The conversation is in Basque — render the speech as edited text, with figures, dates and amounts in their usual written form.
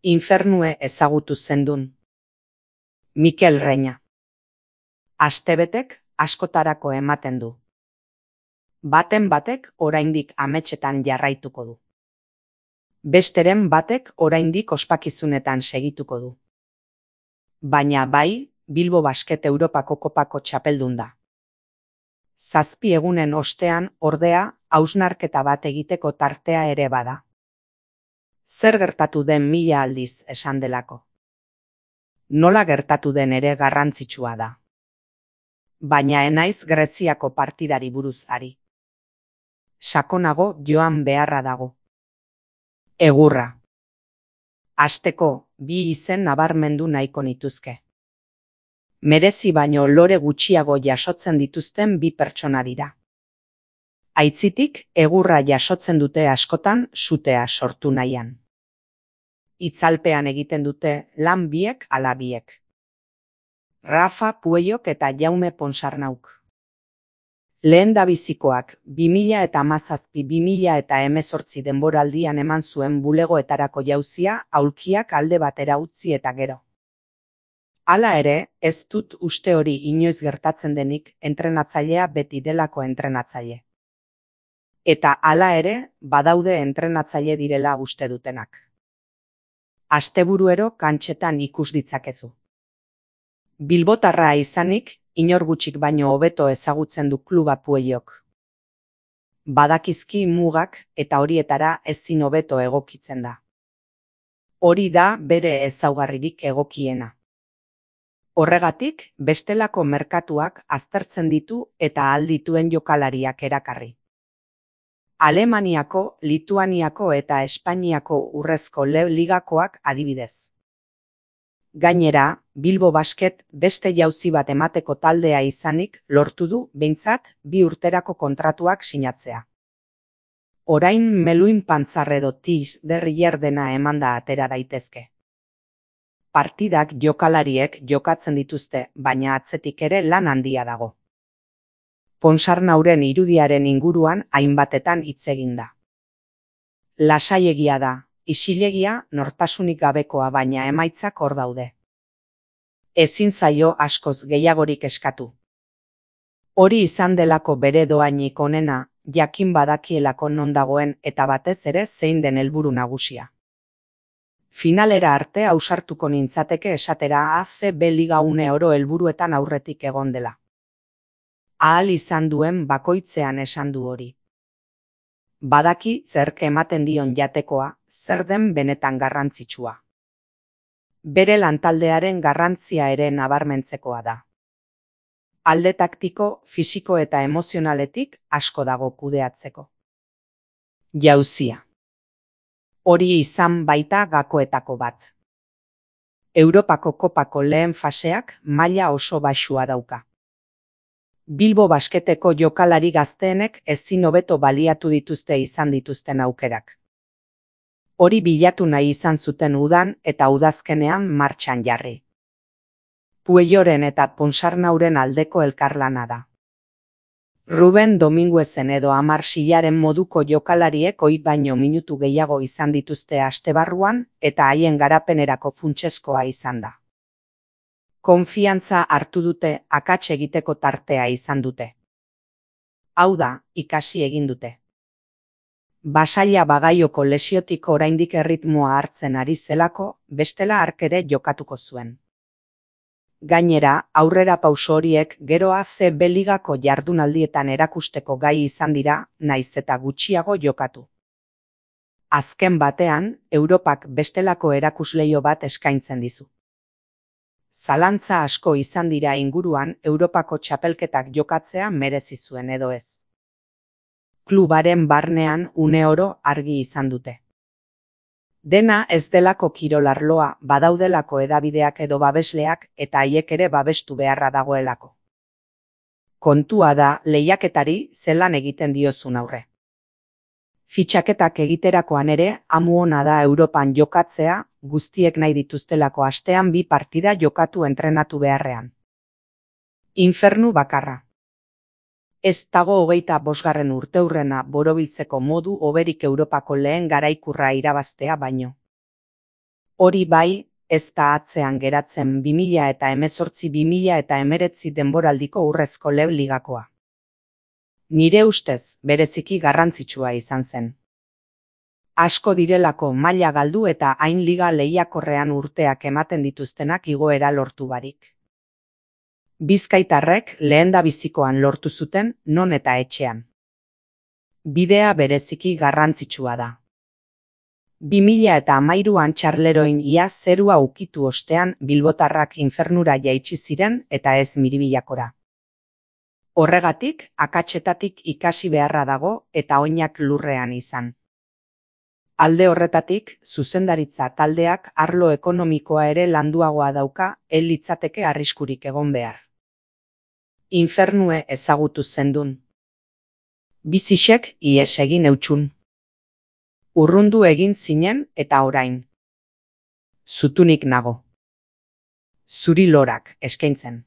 Infernue ezagutu zendun. Mikel Reina. Astebetek askotarako ematen du. Baten batek oraindik ametsetan jarraituko du. Besteren batek oraindik ospakizunetan segituko du. Baina bai, Bilbo Basket Europako kopako txapeldun da. 7 egunen ostean, ordea, hausnarketa bat egiteko tartea ere bada. Zer gertatu den 1000 aldiz esan delako. Nola gertatu den ere garrantzitsua da. Baina enaiz Greziako partidari buruz ari. Sakonago joan beharra dago. Egurra. Hasteko, 2 izen nabarmendu nahiko nituzke. Merezi baino lore gutxiago jasotzen dituzten 2 pertsona dira. Aitzitik, egurra jasotzen dute askotan sutea sortu nahian. Itzalpean egiten dute lan biek ala biek. Rafa Pueyok eta Jaume Ponsarnauk. Lehendabizikoak 2017-2018 denboraldian eman zuen bulegoetarako jauzia aulkiak alde batera utzi eta gero. Hala ere, ez dut uste hori inoiz gertatzen denik, entrenatzailea beti delako entrenatzaile. Eta hala ere, badaude entrenatzaile direla uste dutenak. Asteburuero kantxetan ikus ditzakezu. Bilbotarra izanik, inor gutxik baino hobeto ezagutzen du kluba Pueyok. Badakizki mugak eta horietara ezin hobeto egokitzen da. Hori da bere ezaugarririk egokiena. Horregatik, bestelako merkatuak aztertzen ditu eta ahal dituen jokalariak erakarri. Alemaniako, Lituaniako eta Espainiako urrezko ligakoak adibidez. Gainera, Bilbo Basket beste jauzi bat emateko taldea izanik lortu du behintzat 2 urterako kontratuak sinatzea. Orain Meluin Pantzar edo Tis Derrier dena emanda atera daitezke. Partidak jokalariek jokatzen dituzte, baina atzetik ere lan handia dago. Ponsarnauren irudiaren inguruan hainbatetan hitz egin da. Lasaiegia da, isilegia nortasunik gabekoa baina emaitzak hor daude. Ezin zaio askoz gehiagorik eskatu. Hori izan delako bere doainik onena, jakin badakielako non dagoen eta batez ere zein den helburu nagusia. Finalera arte ausartuko nintzateke esatera ACB Liga uneoro helburuetan aurretik egon dela. Ahal izan duen bakoitzean esan du hori. Badaki zerk ematen dion jatekoa, zer den benetan garrantzitsua. Bere lantaldearen garrantzia ere nabarmentzekoa da. Alde taktiko, fisiko eta emozionaletik asko dago kudeatzeko. Jauzia. Hori izan baita gakoetako bat. Europako kopako lehen faseak maila oso baxua dauka. Bilbo Basketeko jokalari gazteenek ezin hobeto baliatu dituzte izan dituzten aukerak. Hori bilatu nahi izan zuten udan eta udazkenean martxan jarri. Pueyoren eta Ponsarnauren aldeko elkarlana da. Ruben Dominguezen edo Amar Sillaren moduko jokalariek ohi baino minutu gehiago izan dituzte astebarruan eta haien garapenerako funtsezkoa izan da. Konfiantza hartu dute, akats egiteko tartea izan dute. Hau da, ikasi egin dute. Basaila Bagaioko lesiotik oraindik erritmoa hartzen ari zelako, bestela hark ere jokatuko zuen. Gainera, aurrera pauso horiek gero ACB Ligako jardunaldietan erakusteko gai izan dira, naiz eta gutxiago jokatu. Azken batean, Europak bestelako erakusleio bat eskaintzen dizu. Zalantza asko izan dira inguruan Europako txapelketak jokatzea merezi zuen edo ez. Klubaren barnean uneoro argi izan dute. Dena ez delako kirolarloa, badaudelako edabideak edo babesleak eta haiek ere babestu beharra dagoelako. Kontua da lehiaketari zelan egiten diozun aurre. Fitxaketak egiterakoan ere, amu ona da Europan jokatzea, guztiek nahi dituztelako astean 2 partida jokatu entrenatu beharrean. Infernu bakarra. Ez dago 25. urteurrena borobiltzeko modu hoberik Europako lehen garaikurra irabaztea baino. Hori bai, ez da atzean geratzen 2018-2019 denboraldiko Urrezko Leb ligakoa. Nire ustez, bereziki garrantzitsua izan zen. Asko direlako maila galdu eta hain liga lehiakorrean urteak ematen dituztenak igoera lortu barik. Bizkaitarrek lehendabizikoan lortu zuten non eta etxean. Bidea bereziki garrantzitsua da. 2013an Txarleroin ia zerua ukitu ostean bilbotarrak infernura jaitsi ziren eta ez Miribillakora. Horregatik, akatsetatik ikasi beharra dago eta oinak lurrean izan. Alde horretatik, zuzendaritza taldeak arlo ekonomikoa ere landuagoa dauka, ez litzateke arriskurik egon behar. Infernue ezagutu zendun. Bizixek ihes egin eutxun. Urrundu egin zinen eta orain. Zutunik nago. Zuri lorak eskaintzen.